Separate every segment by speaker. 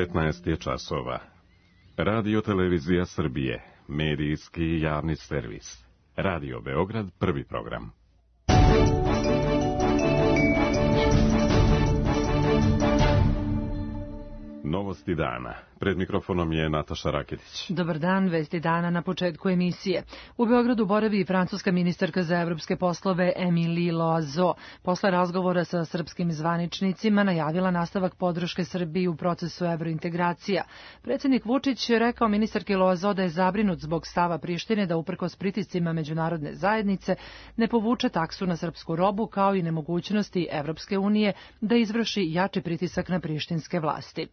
Speaker 1: 15 je časova. Radio Televizija Srbije, medijski javni servis. Radio Beograd, prvi program. Novosti dana. Pred mikrofonom je Nataša Raketić.
Speaker 2: Dobar dan, vesti dana na početku emisije. U Beogradu boravi i francuska ministarka za evropske poslove Émilie Loiseau. Posle razgovora sa srpskim zvaničnicima najavila nastavak podrške Srbiji u procesu evrointegracija. Predsjednik Vučić je rekao ministarki Loiseau da je zabrinut zbog stava Prištine da uprkos pritiscima međunarodne zajednice ne povuče taksu na srpsku robu, kao i nemogućnosti Evropske unije da izvrši jači pritisak na prištinske vlasti.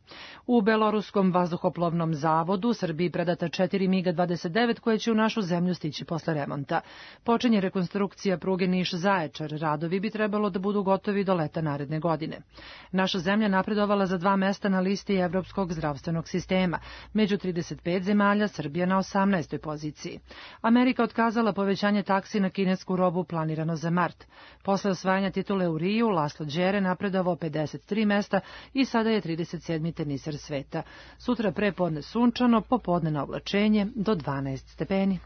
Speaker 2: U Beloruskom vazduhoplovnom zavodu Srbiji predata 4 MiG-29 koje će u našu zemlju stići posle remonta. Počinje rekonstrukcija pruge Niš-Zaječar. Radovi bi trebalo da budu gotovi do leta naredne godine. Naša zemlja napredovala za 2 mesta na listi Evropskog zdravstvenog sistema. Među 35 zemalja Srbija na 18. poziciji. Amerika otkazala povećanje taksi na kinesku robu planirano za mart. Posle osvajanja titule u Riju, Laslo Đere napredovao 53 mesta i sada je 37. teniser sveta. Sutra prepodne sunčano, popodne na oblačenje do 12 stepeni.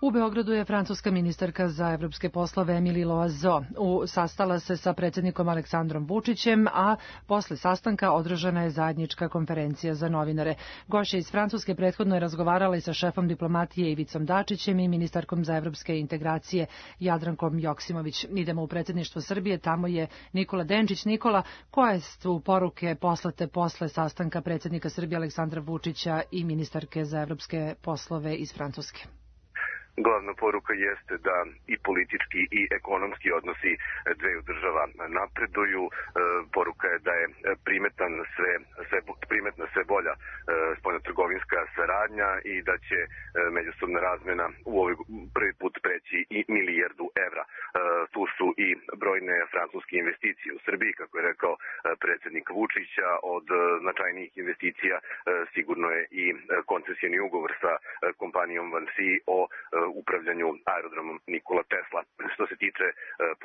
Speaker 2: U Beogradu je francuska ministarka za evropske poslove Émilie Loiseau. Sastala se sa predsjednikom Aleksandrom Vučićem, a posle sastanka održana je zajednička konferencija za novinare. Gošća iz Francuske prethodno je razgovarala i sa šefom diplomatije Ivicom Dačićem i ministarkom za evropske integracije Jadrankom Joksimović. Idemo u predsjedništvo Srbije, tamo je Nikola Denčić. Nikola, koje su poruke poslate posle sastanka predsjednika Srbije Aleksandra Vučića i ministarke za evropske poslove iz Francuske?
Speaker 3: Glavna poruka jeste da i politički i ekonomski odnosi dveju država napreduju. Poruka je da je primetna sve bolja spoljnotrgovinska saradnja i da će međusobna razmena u ovaj prvi put preći i milijardu evra. Tu su i brojne francuske investicije u Srbiji, kako je rekao predsjednik Vučića. Od značajnijih investicija sigurno je i koncesioni ugovor sa kompanijom Vansi o upravljanju aerodromom Nikola Tesla. Što se tiče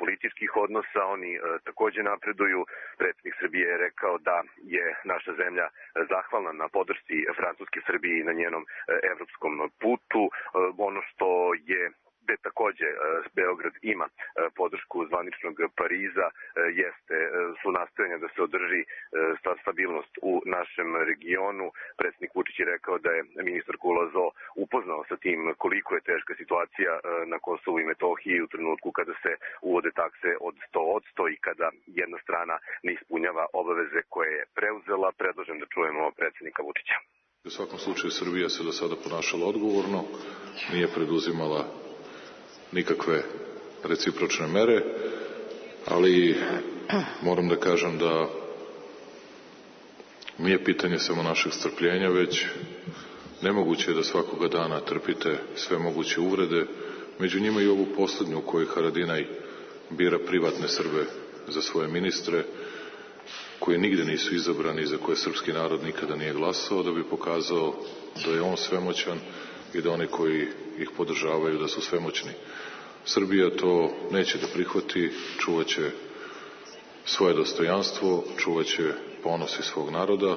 Speaker 3: političkih odnosa, oni također napreduju. Predsjednik Srbije je rekao da je naša zemlja zahvalna na podršci Francuske Srbiji na njenom evropskom putu. Ono što je gde također Beograd ima podršku zvaničnog Pariza su nastojanja da se održi stabilnost u našem regionu. Predsjednik Vučić je rekao da je ministarku Loiseau upoznao sa tim koliko je teška situacija na Kosovu i Metohiji u trenutku kada se uvode takse od 100% i kada jedna strana ne ispunjava obaveze koje je preuzela. Predlažem da čujemo predsjednika Vučića.
Speaker 4: U svakom slučaju Srbija se do sada ponašala odgovorno, nije preduzimala nikakve recipročne mere, ali moram da kažem da nije pitanje samo našeg strpljenja, već nemoguće je da svakoga dana trpite sve moguće uvrede, među njima i ovu poslednju u kojoj Haradinaj bira privatne Srbe za svoje ministre, koji nigde nisu izabrani i za koje srpski narod nikada nije glasao, da bi pokazao da je on svemoćan i da oni koji ih podržavaju da su svemoćni. Srbija to neće da prihvati, čuvaće svoje dostojanstvo, čuvaće ponos i svog naroda,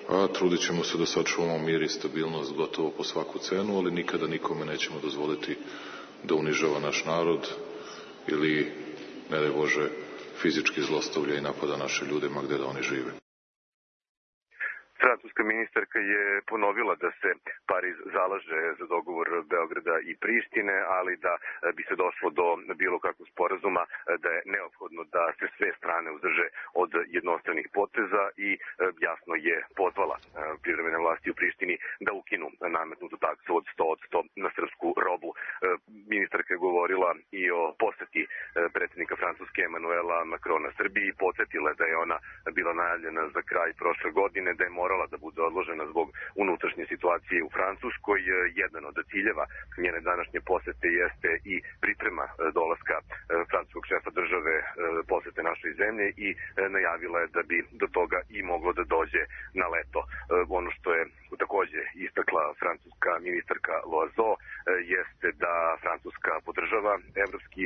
Speaker 4: a trudit ćemo se da sačuvamo mir i stabilnost gotovo po svaku cenu, ali nikada nikome nećemo dozvoliti da unižava naš narod ili, ne daj Bože, fizički zlostavlja i napada naše ljude ma gde da oni žive.
Speaker 3: Francuska ministarka je ponovila da se Pariz zalaže za dogovor Beograda i Prištine, ali da bi se došlo do bilo kakvog sporazuma, da je neophodno da se sve strane uzdrže od jednostranih poteza i jasno je pozvala privremene vlasti u Prištini da ukinu nametnutu taksu od 100% na srpsku robu. Ministarka je govorila i o poseti predsjednika Francuske Emanuela Macrona Srbiji, podsjetila da je ona bila najavljena za kraj prošle godine, da je morala morala da bude odložena zbog unutrašnje situacije u Francuskoj. Jedan od ciljeva njene današnje posete jeste i priprema dolaska francuskog šefa države posete našoj zemlji i najavila je da bi do toga i moglo da dođe na leto. Ono što je takođe istakla francuska ministarka Loiseau jeste da Francuska podržava evropski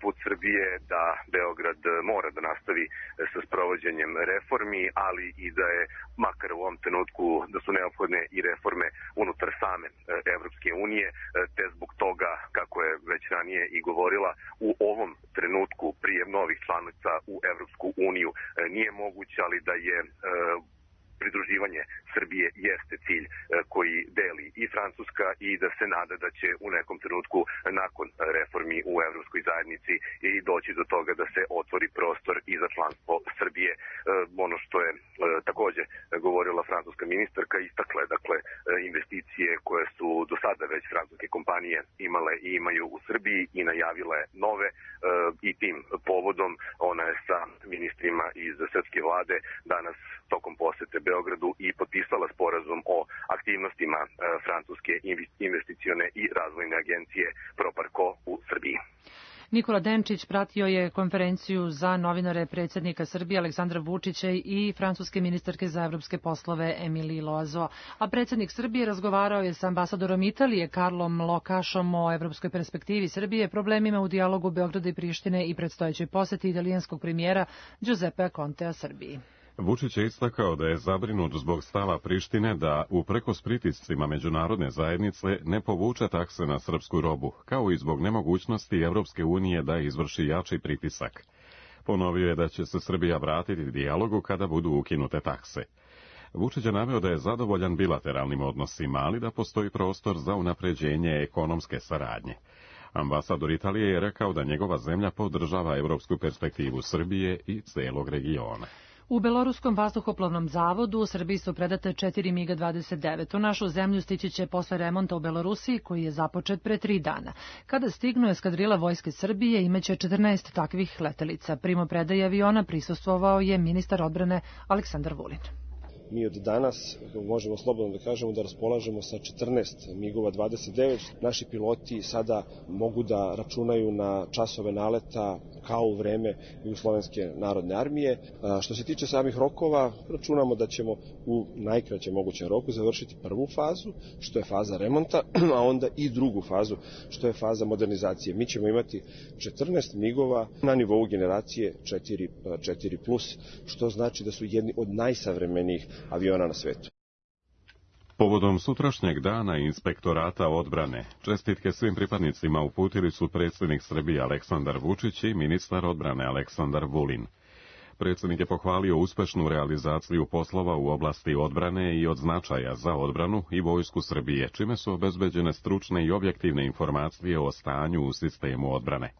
Speaker 3: put Srbije, da Beograd mora da nastavi sa sprovođenjem reformi, ali i da je makar u ovom trenutku da su neophodne i reforme unutar same Evropske unije, te zbog toga, kako je već ranije i govorila, u ovom trenutku prijem novih članica u Evropsku uniju nije moguće, ali da je pridruživanje Srbije jeste cilj koji deli i Francuska i da se nada da će u nekom trenutku nakon reformi u Evropskoj zajednici i doći do toga da se otvori prostor i za članstvo Srbije. Ono što je takođe govorila francuska ministarka, istakle dakle investicije koje su do sada već francuske kompanije imale i imaju u Srbiji i najavile nove i tim povodom ona je sa ministrima iz srpske vlade danas tokom posete Beogradu i potpisala sporazum o aktivnostima francuske investicione i razvojne agencije Proparco u Srbiji.
Speaker 2: Nikola Denčić pratio je konferenciju za novinare predsjednika Srbije Aleksandra Vučića i francuske ministarke za evropske poslove Emilii Loiseau. A predsjednik Srbije razgovarao je sa ambasadorom Italije Karlom Lokašom o evropskoj perspektivi Srbije, problemima u dijalogu Beograda i Prištine i predstojećoj poseti italijanskog premijera Giuseppea Contea Srbiji.
Speaker 1: Vučić je istakao da je zabrinut zbog stava Prištine da, uprkos pritiscima međunarodne zajednice, ne povuče takse na srpsku robu, kao i zbog nemogućnosti Evropske unije da izvrši jači pritisak. Ponovio je da će se Srbija vratiti dijalogu kada budu ukinute takse. Vučić je naveo da je zadovoljan bilateralnim odnosima, ali da postoji prostor za unapređenje ekonomske saradnje. Ambasador Italije je rekao da njegova zemlja podržava evropsku perspektivu Srbije i celog regiona.
Speaker 2: U Beloruskom vazduhoplovnom zavodu u Srbiji su predate 4 MiG-29. U našu zemlju stići će posle remonta u Belorusiji, koji je započet pre 3 dana. Kada stignu eskadrila Vojske Srbije, imaće 14 takvih letelica. Primopredaji aviona prisustvovao je ministar odbrane Aleksandar Vulin.
Speaker 5: Mi od danas možemo slobodno da kažemo da raspolažemo sa 14 MiG-ova 29. Naši piloti sada mogu da računaju na časove naleta kao u vreme Jugoslovenske narodne armije. Što se tiče samih rokova, računamo da ćemo u najkraćem mogućem roku završiti prvu fazu, što je faza remonta, a onda i drugu fazu, što je faza modernizacije. Mi ćemo imati 14 MiG-ova na nivou generacije 4+, što znači da su jedni od najsavremenijih aviona na svetu.
Speaker 1: Povodom sutrašnjeg dana Inspektorata odbrane, čestitke svim pripadnicima uputili su predsjednik Srbije Aleksandar Vučić i ministar odbrane Aleksandar Vulin. Predsjednik je pohvalio uspešnu realizaciju poslova u oblasti odbrane i od značaja za odbranu i vojsku Srbije, čime su obezbeđene stručne i objektivne informacije o stanju u sistemu odbrane.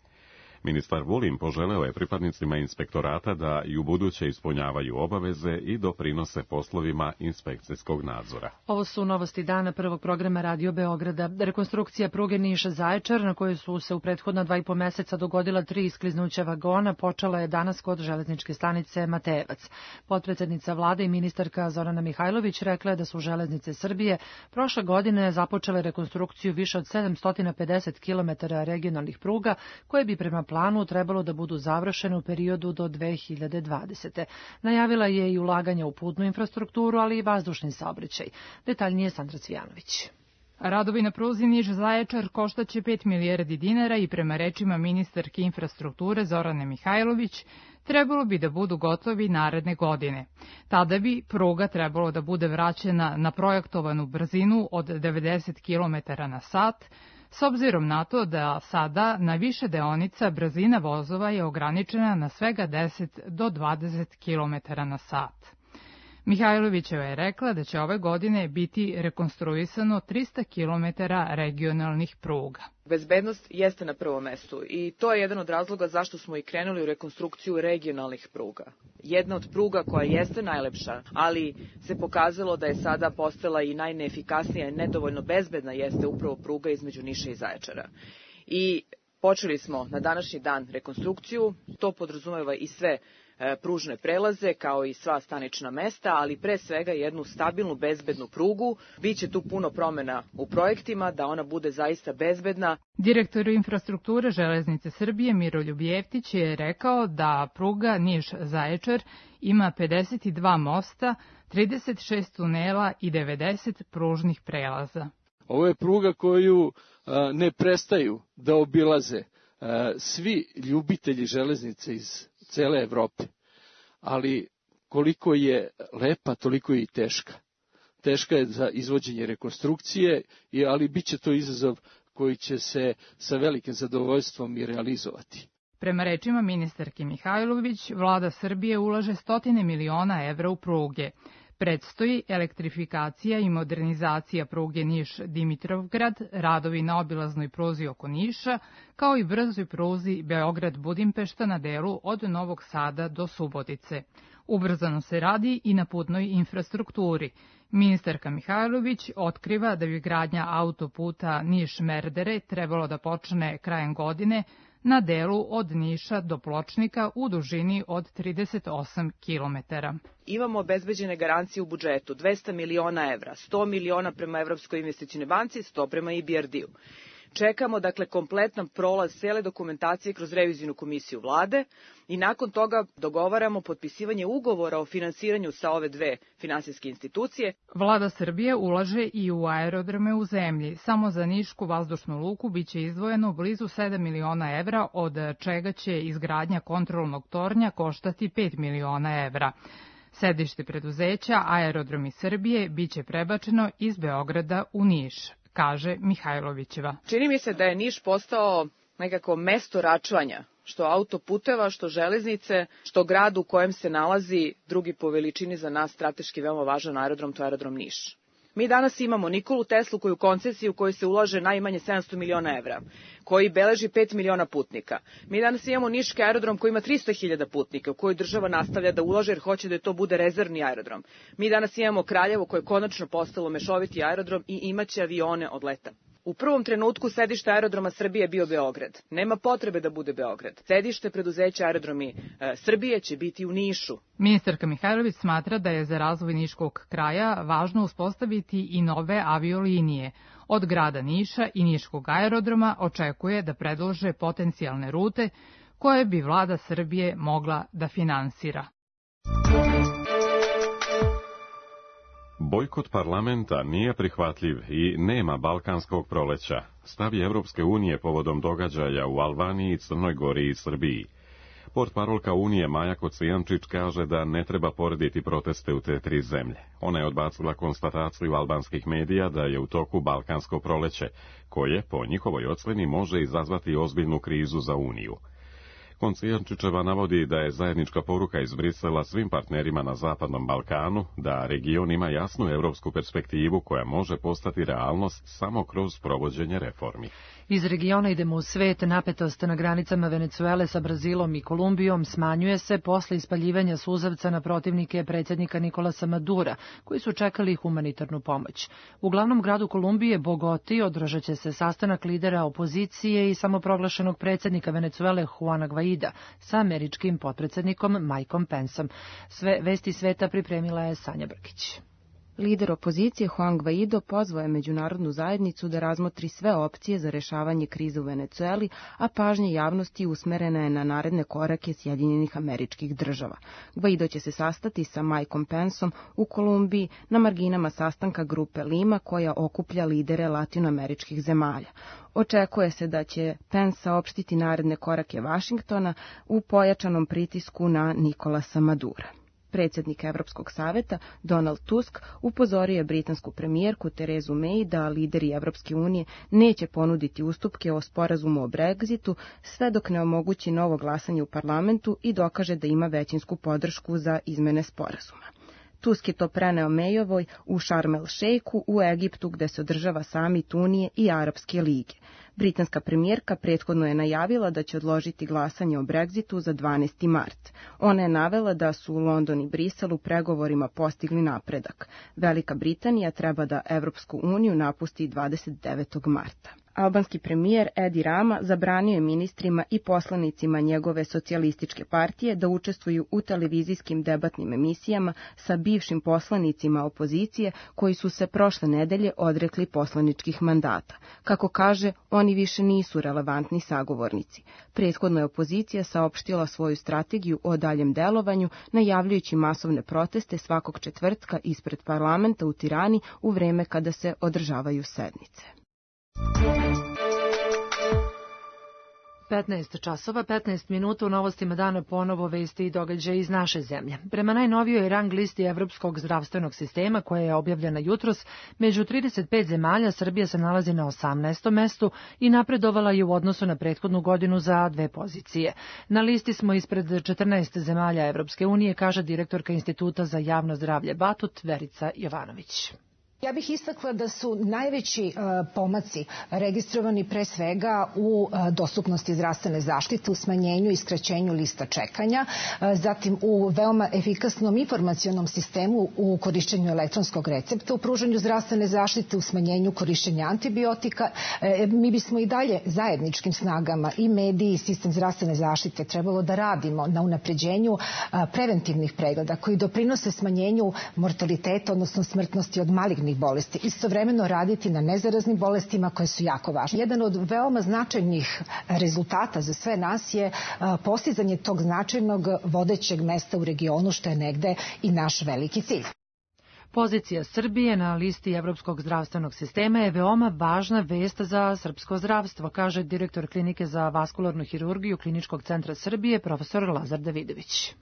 Speaker 1: Ministar Vulin poželeo je pripadnicima inspektorata da i ubuduće ispunjavaju obaveze i doprinose poslovima inspekcijskog nadzora.
Speaker 2: Ovo su novosti dana prvog programa Radio Beograda. Rekonstrukcija pruge Niš-Zaječar, na kojoj su se u prethodna 2,5 meseca dogodila 3 iskliznuća vagona, počela je danas kod železničke stanice Matejevac. Potpredsednica vlade i ministarka Zorana Mihajlović rekla je da su železnice Srbije prošle godine započele rekonstrukciju više od 750 km regionalnih pruga, koje bi prema planu trebalo da budu završene u periodu do 2020. Najavila je i ulaganja u putnu infrastrukturu, ali i vazdušni saobraćaj. Detaljnije Sandra Cvijanović.
Speaker 6: Radovi na pruzi Niš-Zaječar koštaće 5 milijardi dinara i prema rečima ministarke infrastrukture Zorane Mihajlović trebalo bi da budu gotovi naredne godine. Tada bi pruga trebalo da bude vraćena na projektovanu brzinu od 90 km na sat, s obzirom na to da sada na više deonica brzina vozova je ograničena na svega 10 do 20 km na sat. Mihajlovićeva je rekla da će ove godine biti rekonstruisano 300 km regionalnih pruga.
Speaker 7: Bezbednost jeste na prvom mestu i to je jedan od razloga zašto smo i krenuli u rekonstrukciju regionalnih pruga. Jedna od pruga koja jeste najlepša, ali se pokazalo da je sada postala i najneefikasnija i nedovoljno bezbedna, jeste upravo pruga između Niša i Zaječara. I počeli smo na današnji dan rekonstrukciju, to podrazumeva i sve pružne prelaze kao i sva stanična mesta, ali pre svega jednu stabilnu, bezbednu prugu. Biće tu puno promena u projektima, da ona bude zaista bezbedna.
Speaker 6: Direktor infrastrukture Železnice Srbije Miroljub Jeftić je rekao da pruga Niš-Zaječar ima 52 mosta, 36 tunela i 90 pružnih prelaza.
Speaker 8: Ovo je pruga koju ne prestaju da obilaze svi ljubitelji železnice iz cele Evrope. Ali koliko je lepa, toliko je i teška. Teška je za izvođenje rekonstrukcije, ali bit će to izazov koji će se sa velikim zadovoljstvom i realizovati.
Speaker 6: Prema rečima ministarke Mihajlović, vlada Srbije ulaže 100 miliona evra u pruge. Predstoji elektrifikacija i modernizacija pruge Niš-Dimitrovgrad, radovi na obilaznoj pruzi oko Niša, kao i brzoj pruzi Beograd-Budimpešta na delu od Novog Sada do Subotice. Ubrzano se radi i na putnoj infrastrukturi. Ministarka Mihajlović otkriva da bi gradnja autoputa Niš-Merdere trebalo da počne krajem godine na delu od Niša do Pločnika u dužini od 38 kilometara.
Speaker 7: Imamo obezbeđene garancije u budžetu, 200 miliona evra, 100 miliona prema Evropskoj investicionoj banci, 100 prema IBRD-u. Čekamo, dakle, kompletan prolaz cele dokumentacije kroz revizijnu komisiju vlade i nakon toga dogovaramo potpisivanje ugovora o finansiranju sa ove dve finansijske institucije.
Speaker 6: Vlada Srbije ulaže i u aerodrome u zemlji. Samo za Nišku vazdušnu luku biće izdvojeno blizu 7 miliona evra, od čega će izgradnja kontrolnog tornja koštati 5 miliona evra. Sedište preduzeća Aerodromi Srbije biće prebačeno iz Beograda u Niš, kaže Mihajlovićeva.
Speaker 7: Čini mi se da je Niš postao nekako mesto račvanja, što autoputeva, što železnice, što grad u kojem se nalazi drugi po veličini za nas strateški veoma važan aerodrom, to je aerodrom Niš. Mi danas imamo Nikolu Teslu koju koncesiju u kojoj se ulaže najmanje 700 miliona evra, koji beleži 5 miliona putnika. Mi danas imamo Niški aerodrom koji ima 300.000 putnika, u kojoj država nastavlja da ulaže jer hoće da to bude rezervni aerodrom. Mi danas imamo Kraljevo koje je konačno postalo mešoviti aerodrom i imaće avione od leta. U prvom trenutku sedište Aerodroma Srbije je bio Beograd. Nema potrebe da bude Beograd. Sedište preduzeća Aerodromi Srbije će biti u Nišu.
Speaker 6: Ministarka Mihajlović smatra da je za razvoj Niškog kraja važno uspostaviti i nove aviolinije. Od grada Niša i Niškog aerodroma očekuje da predlože potencijalne rute koje bi vlada Srbije mogla da finansira.
Speaker 1: Bojkot parlamenta nije prihvatljiv i nema balkanskog proleća. Stav je Evropske unije povodom događaja u Albaniji, Crnoj Gori i Srbiji. Portparolka Unije Maja Kocijančić kaže da ne treba porediti proteste u te tri zemlje. Ona je odbacila konstataciju albanskih medija da je u toku balkansko proleće, koje, po njihovoj ocjeni, može izazvati ozbiljnu krizu za Uniju. Kocijančićeva navodi da je zajednička poruka iz Brisela svim partnerima na Zapadnom Balkanu da region ima jasnu evropsku perspektivu koja može postati realnost samo kroz provođenje reformi.
Speaker 2: Iz regiona idemo u svet. Napetost na granicama Venecuele sa Brazilom i Kolumbijom smanjuje se posle ispaljivanja suzavca na protivnike predsjednika Nikolasa Madura, koji su čekali humanitarnu pomoć. U glavnom gradu Kolumbije, Bogoti, održat će se sastanak lidera opozicije i samoproglašenog predsjednika Venecuele Juana Guaida sa američkim potpredsjednikom Mikeom Penceom. Sve vesti sveta pripremila je Sanja Brkić.
Speaker 9: Lider opozicije Juan Guaido pozvao je međunarodnu zajednicu da razmotri sve opcije za rešavanje krize u Venecueli, a pažnja javnosti usmerena je na naredne korake Sjedinjenih Američkih Država. Guaido će se sastati sa Mikeom Penceom u Kolumbiji na marginama sastanka grupe Lima koja okuplja lidere latinoameričkih zemalja. Očekuje se da će Pence saopštiti naredne korake Vašingtona u pojačanom pritisku na Nikolasa Madura. Predsjednik Evropskog saveta Donald Tusk upozorio je britansku premijerku Terezu May da lideri Evropske unije neće ponuditi ustupke o sporazumu o Brexitu sve dok ne omogući novo glasanje u parlamentu i dokaže da ima većinsku podršku za izmene sporazuma. Tusk je to preneo Mayovoj u Šarm el Šejku u Egiptu gde se održava samit Unije i Arapske lige. Britanska premijerka prethodno je najavila da će odložiti glasanje o Brexitu za 12. mart. Ona je navela da su London i Brisel u pregovorima postigli napredak. Velika Britanija treba da Evropsku uniju napusti 29. marta. Albanski premijer Edi Rama zabranio je ministrima i poslanicima njegove socijalističke partije da učestvuju u televizijskim debatnim emisijama sa bivšim poslanicima opozicije koji su se prošle nedelje odrekli poslaničkih mandata. Kako kaže, oni više nisu relevantni sagovornici. Prethodno je opozicija saopštila svoju strategiju o daljem delovanju, najavljujući masovne proteste svakog četvrtka ispred parlamenta u Tirani u vreme kada se održavaju sednice.
Speaker 2: 15 časova, 15 minuta u novostima dana ponovo vesti i događaje iz naše zemlje. Prema najnovijoj rang listi Evropskog zdravstvenog sistema, koja je objavljena jutros, među 35 zemalja Srbija se nalazi na 18. mestu i napredovala je u odnosu na prethodnu godinu za 2 pozicije. Na listi smo ispred 14 zemalja Evropske unije, kaže direktorka Instituta za javno zdravlje Batut, Verica Jovanović.
Speaker 10: Ja bih istakla da su najveći pomaci registrovani pre svega u dostupnosti zdravstvene zaštite, u smanjenju i skraćenju lista čekanja, zatim u veoma efikasnom informacionom sistemu u korišćenju elektronskog recepta, u pružanju zdravstvene zaštite, u smanjenju korišćenja antibiotika. Mi bismo i dalje zajedničkim snagama i mediji i sistem zdravstvene zaštite trebalo da radimo na unapređenju preventivnih pregleda koji doprinose smanjenju mortaliteta, odnosno smrtnosti od malignih bolesti. Istovremeno raditi na nezaraznim bolestima koje su jako važne. Jedan od veoma značajnih rezultata za sve nas je postizanje tog značajnog vodećeg mesta u regionu, što je negde i naš veliki cilj.
Speaker 2: Pozicija Srbije na listi Evropskog zdravstvenog sistema je veoma važna vest za srpsko zdravstvo, kaže direktor Klinike za vaskularnu hirurgiju Kliničkog centra Srbije, profesor Lazar Davidović.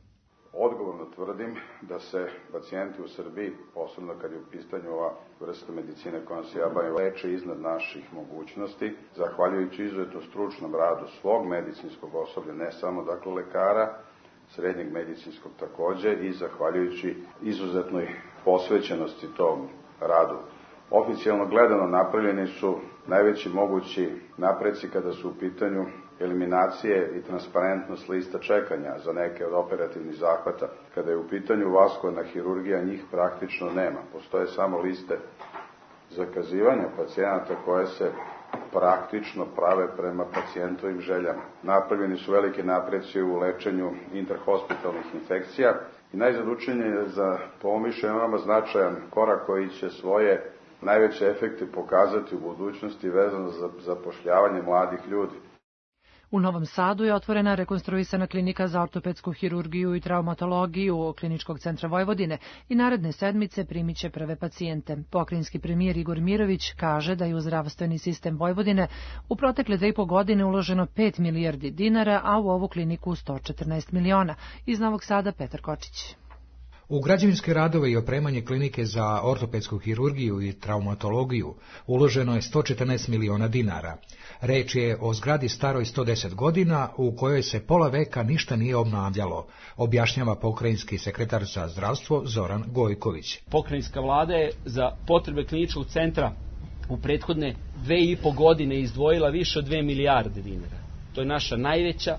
Speaker 11: Odgovorno tvrdim da se pacijenti u Srbiji, posebno kad je u pitanju ova vrsta medicine kojom se ja bavim, leče iznad naših mogućnosti, zahvaljujući izuzetno stručnom radu svog medicinskog osoblja, ne samo dakle lekara, srednjeg medicinskog takođe, i zahvaljujući izuzetnoj posvećenosti tom radu. Oficijalno gledano napravljeni su najveći mogući napreci kada su u pitanju eliminacije i transparentnost lista čekanja za neke od operativnih zahvata. Kada je u pitanju vaskularna hirurgija, njih praktično nema. Postoje samo liste zakazivanja pacijenata koje se praktično prave prema pacijentovim željama. Napravljeni su velike napreci u lečenju interhospitalnih infekcija i najzad učenje je za pomišljen veoma značajan korak koji će svoje najveće efekte pokazati u budućnosti vezano za zapošljavanje mladih ljudi.
Speaker 2: U Novom Sadu je otvorena rekonstruisana klinika za ortopedsku hirurgiju i traumatologiju Kliničkog centra Vojvodine i naredne sedmice primiće prve pacijente. Pokrajinski premijer Igor Mirović kaže da je u zdravstveni sistem Vojvodine u protekle 2,5 godine uloženo 5 milijardi dinara, a u ovu kliniku 114 miliona. Iz Novog Sada Petar Kočić.
Speaker 12: U građevinske radove i opremanje klinike za ortopedsku hirurgiju i traumatologiju uloženo je 114 miliona dinara. Reč je o zgradi staroj 110 godina u kojoj se pola veka ništa nije obnavljalo, objašnjava pokrajinski sekretar za zdravstvo Zoran Gojković.
Speaker 13: Pokrajinska vlada je za potrebe kliničkog centra u prethodne 2,5 godine izdvojila više od 2 milijarde dinara. To je naša najveća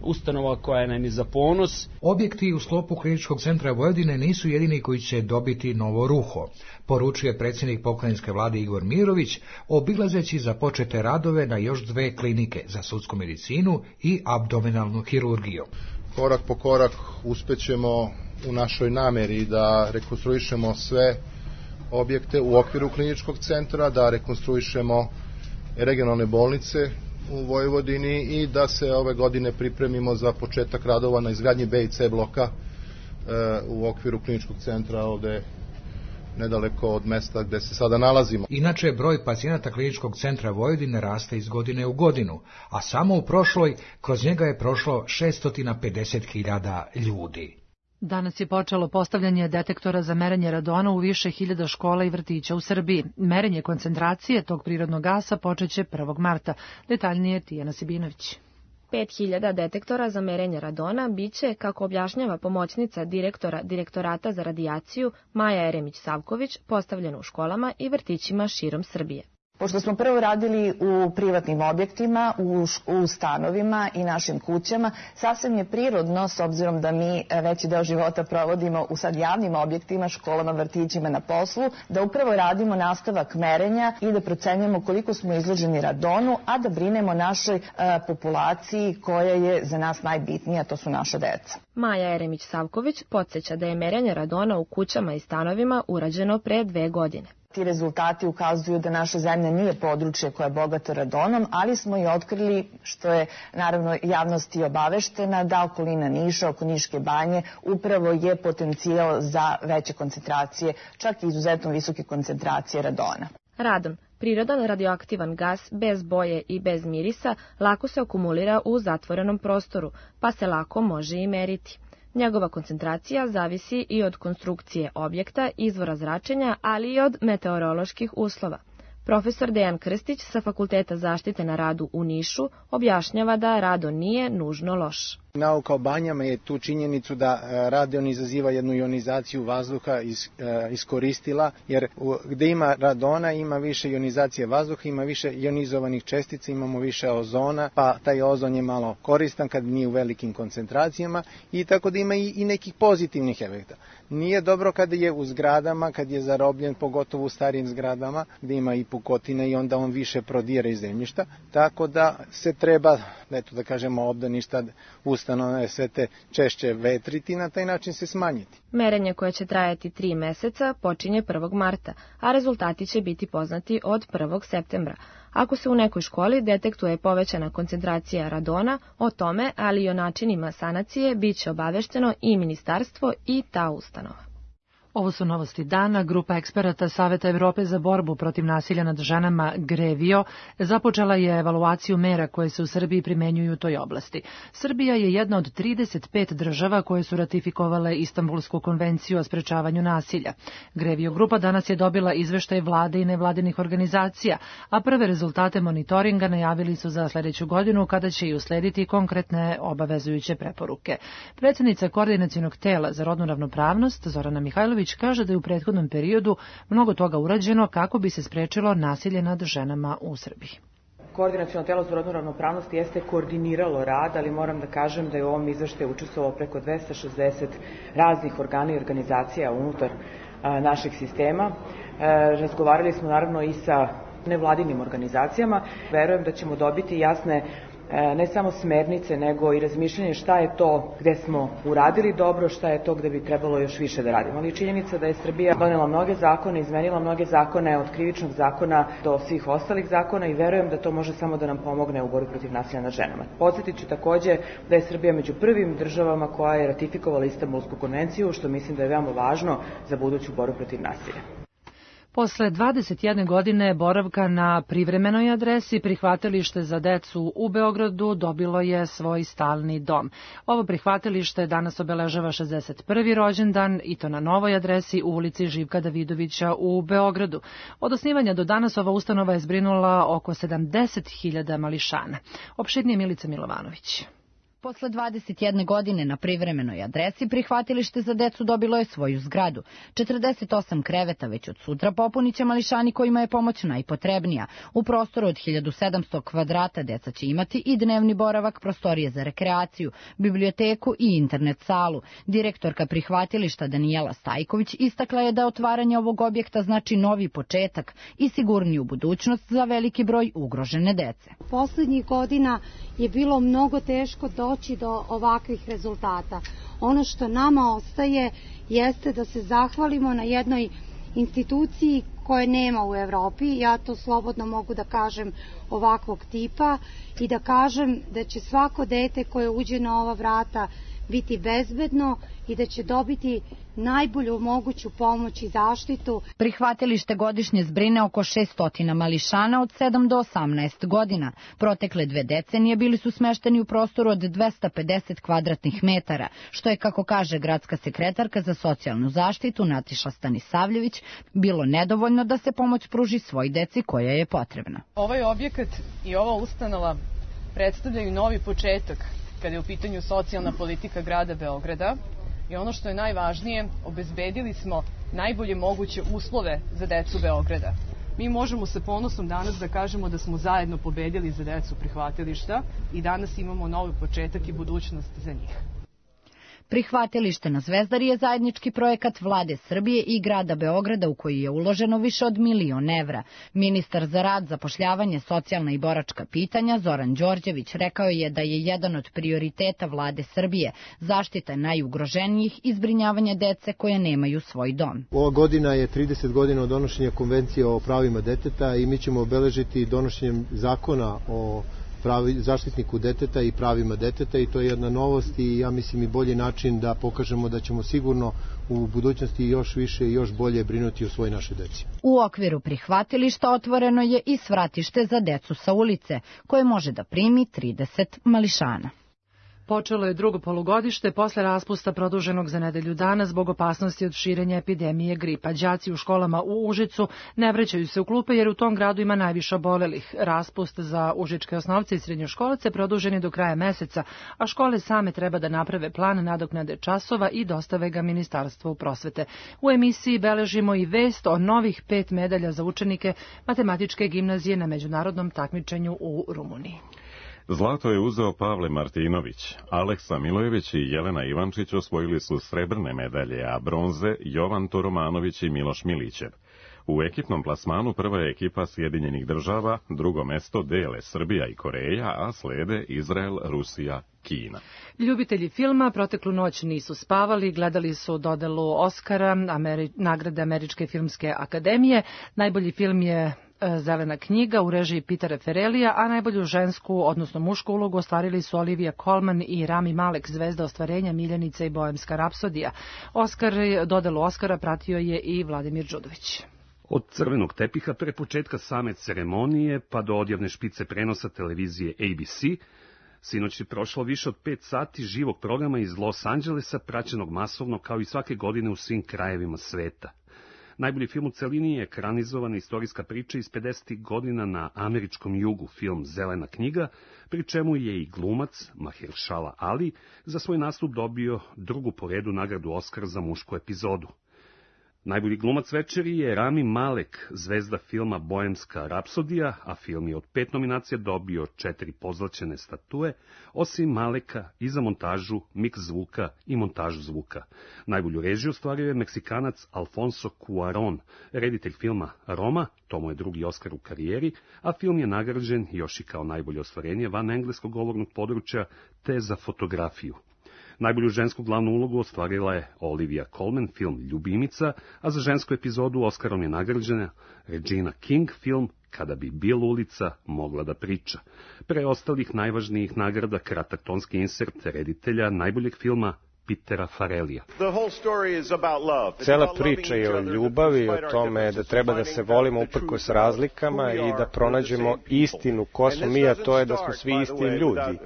Speaker 13: ustanova koja nam je za ponos.
Speaker 12: Objekti u sklopu Kliničkog centra Vojvodine nisu jedini koji će dobiti novo ruho, poručuje predsjednik pokrajinske vlade Igor Mirović, obilazeći započete radove na još 2 klinike za sudsku medicinu i abdominalnu hirurgiju.
Speaker 14: Korak po korak uspećemo u našoj nameri da rekonstruišemo sve objekte u okviru Kliničkog centra, da rekonstruišemo regionalne bolnice u Vojvodini i da se ove godine pripremimo za početak radova na izgradnji B i C bloka u okviru Kliničkog centra ovde nedaleko od mesta gde se sada nalazimo.
Speaker 12: Inače, broj pacijenata Kliničkog centra Vojvodine raste iz godine u godinu, a samo u prošloj kroz njega je prošlo 650.000 ljudi.
Speaker 2: Danas je počelo postavljanje detektora za merenje radona u više hiljada škola i vrtića u Srbiji. Merenje koncentracije tog prirodnog gasa počeće 1. marta. Detaljnije Tijana Sibinović.
Speaker 15: 5.000 detektora za merenje radona biće, kako objašnjava pomoćnica direktora Direktorata za radijaciju Maja Eremić-Savković, postavljeno u školama i vrtićima širom Srbije.
Speaker 16: Pošto smo prvo radili u privatnim objektima, u stanovima i našim kućama, sasvim je prirodno, s obzirom da mi veći deo života provodimo u sad javnim objektima, školama, vrtićima, na poslu, da upravo radimo nastavak merenja i da procenjujemo koliko smo izloženi radonu, a da brinemo našoj populaciji koja je za nas najbitnija, to su naša deca.
Speaker 15: Maja Eremić-Savković podsjeća da je merenje radona u kućama i stanovima urađeno pre 2 godine.
Speaker 16: Ti rezultati ukazuju da naša zemlja nije područje koje je bogato radonom, ali smo i otkrili, što je naravno javnost i obaveštena, da okolina Niša, oko Niške banje, upravo je potencijal za veće koncentracije, čak i izuzetno visoke koncentracije radona.
Speaker 15: Radon, prirodan radioaktivan gas bez boje i bez mirisa, lako se akumulira u zatvorenom prostoru, pa se lako može i meriti. Njegova koncentracija zavisi i od konstrukcije objekta, izvora zračenja, ali i od meteoroloških uslova. Profesor Dejan Krstić sa Fakulteta zaštite na radu u Nišu objašnjava da radon nije nužno loš.
Speaker 17: Nauka o banjama je tu činjenicu da radon izaziva jednu ionizaciju vazduha iskoristila, jer gde ima radona ima više ionizacije vazduha, ima više ionizovanih čestica, imamo više ozona, pa taj ozon je malo koristan kad nije u velikim koncentracijama i tako da ima i nekih pozitivnih efekta. Nije dobro kada je u zgradama, kad je zarobljen, pogotovo u starijim zgradama, gde ima i pukotina i onda on više prodire iz zemljišta, tako da se treba, eto da kažemo, obdaništa, ustanove, sve te češće vetriti, na taj način se smanjiti.
Speaker 15: Merenje koje će trajati 3 meseca počinje 1. marta, a rezultati će biti poznati od 1. septembra. Ako se u nekoj školi detektuje povećana koncentracija radona, o tome, ali i o načinima sanacije, bit će obavešteno i ministarstvo i ta ustanova.
Speaker 2: Ovo su novosti dana. Grupa eksperata Saveta Evrope za borbu protiv nasilja nad ženama GREVIO započela je evaluaciju mera koje se u Srbiji primenjuju u toj oblasti. Srbija je jedna od 35 država koje su ratifikovale Istanbulsku konvenciju o sprečavanju nasilja. GREVIO grupa danas je dobila izveštaj vlade i nevladinih organizacija, a prve rezultate monitoringa najavili su za sledeću godinu, kada će i uslediti konkretne obavezujuće preporuke. Predsjednica Koordinacionog tela za rodnu ravnopravnost Zorana Mihajlović kaže da je u prethodnom periodu mnogo toga urađeno kako bi se sprečilo nasilje nad ženama u Srbiji.
Speaker 7: Koordinaciono telo za rodnu ravnopravnost jeste koordiniralo rad, ali moram da kažem da je u ovom izveštaju učestvovalo preko 260 raznih organa i organizacija unutar našeg sistema. Razgovarali smo naravno i sa nevladinim organizacijama. Verujem da ćemo dobiti jasne ne samo smernice, nego i razmišljanje šta je to gde smo uradili dobro, šta je to gde bi trebalo još više da radimo. Ali činjenica da je Srbija donela mnoge zakone, izmenila mnoge zakone, od krivičnog zakona do svih ostalih zakona, i verujem da to može samo da nam pomogne u borbi protiv nasilja nad ženama. Podsjetit ću takođe da je Srbija među prvim državama koja je ratifikovala Istanbulsku konvenciju, što mislim da je veoma važno za buduću borbu protiv nasilja.
Speaker 2: Posle 21 godine boravka na privremenoj adresi, prihvatilište za decu u Beogradu dobilo je svoj stalni dom. Ovo prihvatilište danas obeležava 61. rođendan, i to na novoj adresi u ulici Živka Davidovića u Beogradu. Od osnivanja do danas ova ustanova je zbrinula oko 70.000 mališana. Opširnije Milica Milovanović.
Speaker 18: Posle 21 godine na privremenoj adresi prihvatilište za decu dobilo je svoju zgradu. 48 kreveta već od sutra popuniće mališani kojima je pomoć najpotrebnija. U prostoru od 1700 kvadrata deca će imati i dnevni boravak, prostorije za rekreaciju, biblioteku i internet salu. Direktorka prihvatilišta Danijela Stajković istakla je da otvaranje ovog objekta znači novi početak i sigurniju budućnost za veliki broj ugrožene dece.
Speaker 19: Poslednjih godina je bilo mnogo teško doći do ovakvih rezultata. Ono što nama ostaje jeste da se zahvalimo na jednoj instituciji koje nema u Evropi, ja to slobodno mogu da kažem, ovakvog tipa, i da kažem da će svako dete koje uđe na ova vrata biti bezbedno i da će dobiti najbolju moguću pomoć i zaštitu.
Speaker 18: Prihvatilište godišnje zbrine oko 600 mališana od 7 do 18 godina. Protekle 2 decenije bili su smešteni u prostoru od 250 kvadratnih metara, što je, kako kaže gradska sekretarka za socijalnu zaštitu Natiša Stanisavljević, bilo nedovoljno da se pomoć pruži svoj deci koja je potrebna.
Speaker 20: Ovaj objekat i ova ustanova predstavljaju novi početak kada je u pitanju socijalna politika grada Beograda, i ono što je najvažnije, obezbedili smo najbolje moguće uslove za decu Beograda. mi možemo sa ponosom danas da kažemo da smo zajedno pobedili za decu prihvatilišta i danas imamo novi početak i budućnost za njih.
Speaker 18: Prihvatilište na Zvezdari je zajednički projekat Vlade Srbije i grada Beograda u koji je uloženo više od 1.000.000 evra. Ministar za rad, zapošljavanje, socijalna i boračka pitanja Zoran Đorđević rekao je da je jedan od prioriteta Vlade Srbije zaštita najugroženijih i zbrinjavanje dece koje nemaju svoj dom.
Speaker 21: Ova godina je 30 godina od donošenja Konvencije o pravima deteta i mi ćemo obeležiti donošenjem zakona o zaštitniku deteta i pravima deteta i to je jedna novost i ja mislim i bolji način da pokažemo da ćemo sigurno u budućnosti još više i još bolje brinuti o svoj našoj deci.
Speaker 18: U okviru prihvatilišta otvoreno je i svratište za decu sa ulice, koje može da primi 30 mališana.
Speaker 2: Počelo je drugo polugodište posle raspusta produženog za nedelju dana zbog opasnosti od širenja epidemije gripa. Đaci u školama u Užicu ne vraćaju se u klupe jer u tom gradu ima najviše obolelih. Raspust za užičke osnovce i srednjoškolce produžen je do kraja meseca, a škole same treba da naprave plan nadoknade časova i dostave ga Ministarstvu prosvete. U emisiji beležimo i vest o novih 5 medalja za učenike matematičke gimnazije na međunarodnom takmičenju u Rumuniji.
Speaker 1: Zlato je uzeo Pavle Martinović, Aleksa Milojević i Jelena Ivančić osvojili su srebrne medalje, a bronze Jovan Toromanović i Miloš Milićev. U ekipnom plasmanu prva je ekipa Sjedinjenih država, drugo mesto dele Srbija i Koreja, a slede Izrael, Rusija, Kina.
Speaker 2: Ljubitelji filma proteklu noć nisu spavali, gledali su dodelu Oskara, nagrade Američke filmske akademije. Najbolji film je Zelena knjiga u režiji Petera Farrellija, a najbolju žensku, odnosno mušku ulogu ostvarili su Olivia Colman i Rami Malek, zvezda ostvarenja Miljenica i Boemska rapsodija. Dodelu Oskara pratio je i Vladimir Đudović.
Speaker 22: Od crvenog tepiha pre početka same ceremonije pa do odjavne špice prenosa televizije ABC, sinoć je prošlo više od 5 sati živog programa iz Los Angelesa, praćenog masovno kao i svake godine u svim krajevima sveta. Najbolji film u celini je ekranizovana istorijska priča iz 50. godina na američkom jugu, film Zelena knjiga, pri čemu je i glumac Mahershala Ali za svoj nastup dobio drugu po redu nagradu Oskar za mušku epizodu. Najbolji glumac večeri je Rami Malek, zvezda filma Boemska rapsodija, a film je od 5 nominacija dobio 4 pozlaćene statue, osim Maleka i za montažu, miks zvuka i montažu zvuka. Najbolju režiju ostvario je Meksikanac Alfonso Cuarón, reditelj filma Roma, to mu je drugi Oskar u karijeri, a film je nagrađen još i kao najbolje ostvarenje van engleskog govornog područja te za fotografiju. Najbolju žensku glavnu ulogu ostvarila je Olivia Colman, film Ljubimica, a za žensku epizodu Oskarom je nagrađena Regina King, film Kada bi Bill ulica mogla da priča. Pre ostalih najvažnijih nagrada kratak tonski insert reditelja najboljeg filma Petera Farrellija.
Speaker 17: Cela priča je o ljubavi, o tome da treba da se volimo uprkos razlikama i da pronađemo istinu ko smo mi, a to je da smo svi isti ljudi.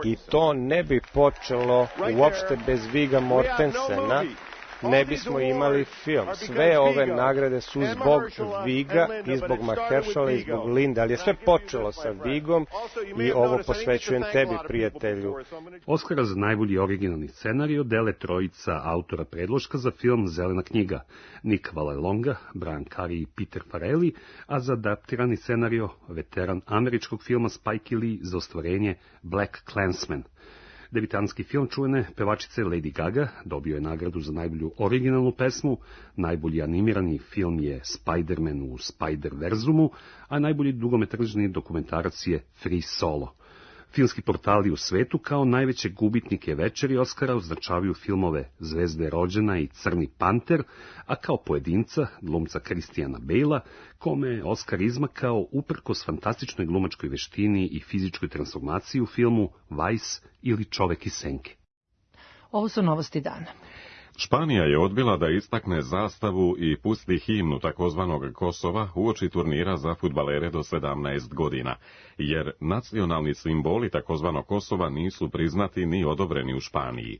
Speaker 17: I to ne bi počelo uopšte bez Vigga Mortensena, ne bismo imali film. Sve ove nagrade su zbog Vigga i zbog Mahershala i zbog Linde, ali je sve počelo sa Viggom i ovo posvećujem tebi, prijatelju.
Speaker 22: Oskara za najbolji originalni scenarij dele trojica autora predloška za film Zelena knjiga, Nick Vallelonga, Brian Curry i Peter Farrelly, a za adaptirani scenario veteran američkog filma Spike Lee za ostvarenje Black Klansman. Debitanski film čuvene pevačice Lady Gaga dobio je nagradu za najbolju originalnu pesmu, najbolji animirani film je Spider-Man u Spider-Verzumu, a najbolji dugometražni dokumentarac je Free Solo. Filmski portali u svetu kao najveće gubitnike večeri Oskara označavaju filmove Zvezde rođena i Crni panter, a kao pojedinca glumca Christiana Bale'a, kome je Oskar izmakao uprkos fantastičnoj glumačkoj veštini i fizičkoj transformaciji u filmu Vice ili Čovek iz senke.
Speaker 2: Ovo su novosti dana.
Speaker 1: Španija je odbila da istakne zastavu i pusti himnu takozvanog Kosova uoči turnira za fudbalere do 17 godina, jer nacionalni simboli takozvanog Kosova nisu priznati ni odobreni u Španiji.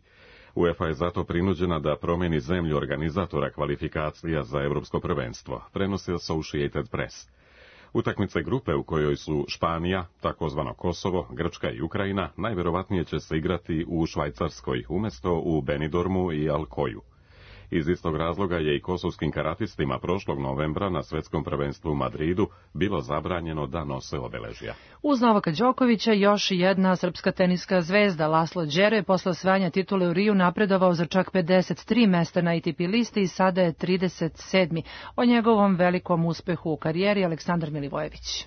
Speaker 1: UEFA je zato prinuđena da promeni zemlju organizatora kvalifikacija za evropsko prvenstvo, prenosi Associated Press. Utakmice grupe u kojoj su Španija, takozvano Kosovo, Grčka i Ukrajina, najverovatnije će se igrati u Švajcarskoj, umjesto u Benidormu i Alcoyu. Iz istog razloga je i kosovskim karatistima prošlog novembra na svetskom prvenstvu u Madridu bilo zabranjeno da nose obeležja.
Speaker 2: Uz Novaka Đokovića još jedna srpska teniska zvezda Laslo Đere posle osvajanja titule u Riju napredovao za čak 53 mesta na ATP listi i sada je 37. O njegovom velikom uspehu u karijeri Aleksandar Milivojević.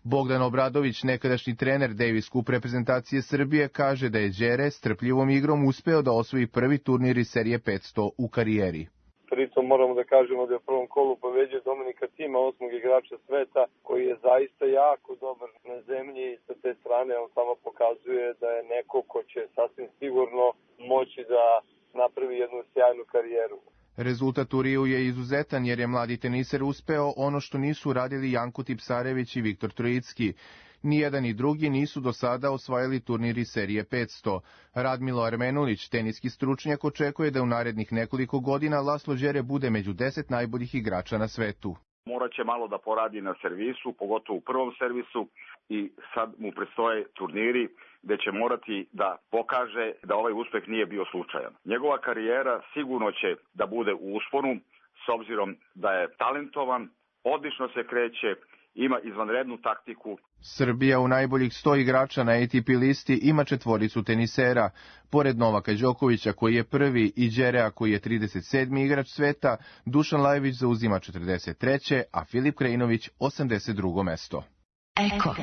Speaker 3: Bogdan Obradović, nekadašnji trener Davis Cup reprezentacije Srbije, kaže da je Đere strpljivom igrom uspeo da osvoji prvi turnir iz serije 500 u karijeri.
Speaker 4: Pritom moramo da kažemo da je u prvom kolu pobeđio Dominika Tima, 8. igrača sveta, koji je zaista jako dobar na zemlji i sa te strane on samo pokazuje da je neko ko će sasvim sigurno moći da napravi jednu sjajnu karijeru.
Speaker 3: Rezultat u Riju je izuzetan jer je mladi teniser uspeo ono što nisu radili Janko Tipsarević i Viktor Trojicki. Nijedan i drugi nisu do sada osvajali turniri serije 500. Radmilo Armenulić, teniski stručnjak, očekuje da u narednih nekoliko godina Laslo Đere bude među 10 najboljih igrača na svetu.
Speaker 23: Morat će malo da poradi na servisu, pogotovo u prvom servisu, i sad mu predstoje turniri gde će morati da pokaže da ovaj uspeh nije bio slučajan. Njegova karijera sigurno će da bude u usponu, s obzirom da je talentovan, odlično se kreće, ima izvanrednu taktiku.
Speaker 3: Srbija u najboljih 100 igrača na ATP listi ima 4 tenisera. Pored Novaka Đokovića, koji je prvi, i Đerea, koji je 37. igrač sveta, Dušan Lajović zauzima 43., a Filip Krajinović 82. mesto.
Speaker 24: Eko.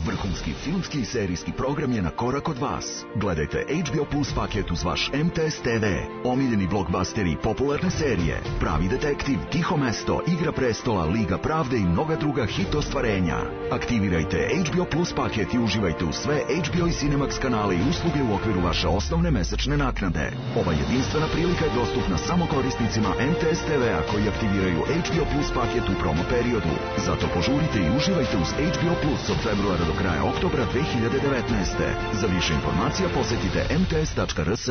Speaker 24: Vrhunski filmski i serijski program je na korak od vas. Gledajte HBO Plus paket uz vaš MTS TV, omiljeni blockbusteri i popularne serije, Pravi detektiv, Tiho mesto, Igra prestola, Liga pravde i mnoga druga hit ostvarenja. Aktivirajte HBO Plus paket i uživajte u sve HBO i Cinemax kanale i usluge u okviru vaše osnovne mesečne naknade. Ova jedinstvena prilika je dostupna samo korisnicima MTS TV-a koji aktiviraju HBO Plus paket u promo periodu. Zato požurite i uživajte uz HBO Plus od februara do kraja oktobra 2019. Za više informacija posetite mts.rs.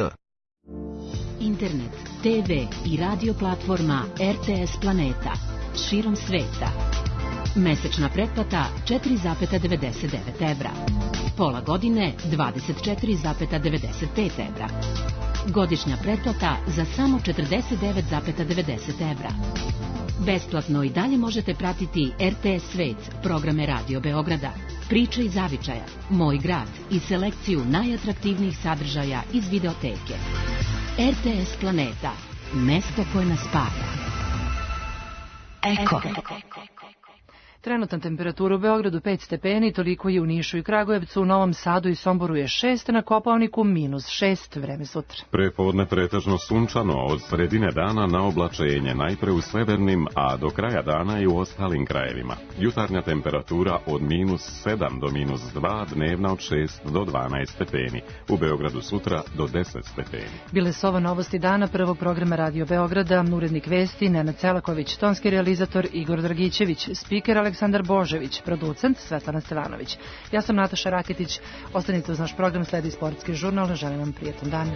Speaker 25: Internet, TV i radio platforma RTS Planeta. Širom sveta. Mesečna pretplata 4,99 evra. Pola godine 24,95 evra. Godišnja pretplata za samo 49,90 evra. Besplatno i dalje možete pratiti RTS Svet, programe Radio Beograda, Priče iz zavičaja, Moj grad i selekciju najatraktivnijih sadržaja iz videoteke. RTS Planeta, mesto koje nas spaja.
Speaker 2: Eko. Trenutna temperatura u Beogradu 5 stepeni, toliko je u Nišu i Kragujevcu, u Novom Sadu i Somboru je 6, na Kopaoniku -6, vreme sutra.
Speaker 1: Prepodne pretežno sunčano, od sredine dana na oblačenje, najpre u severnim, a do kraja dana i u ostalim krajevima. Jutarnja temperatura od -7 do -2, dnevna od 6 do 12 stepeni. U Beogradu sutra do 10 stepeni.
Speaker 2: Bile su ovo novosti dana prvog programa Radio Beograda, urednik vesti Nenad Celaković, tonski realizator Igor Dragićević, spiker Aleksandar Božević, producent Svetlana Stevanović. Ja sam Nataša Raketić, ostanite uz naš program, sledi sportski žurnal, želim vam prijetan dan.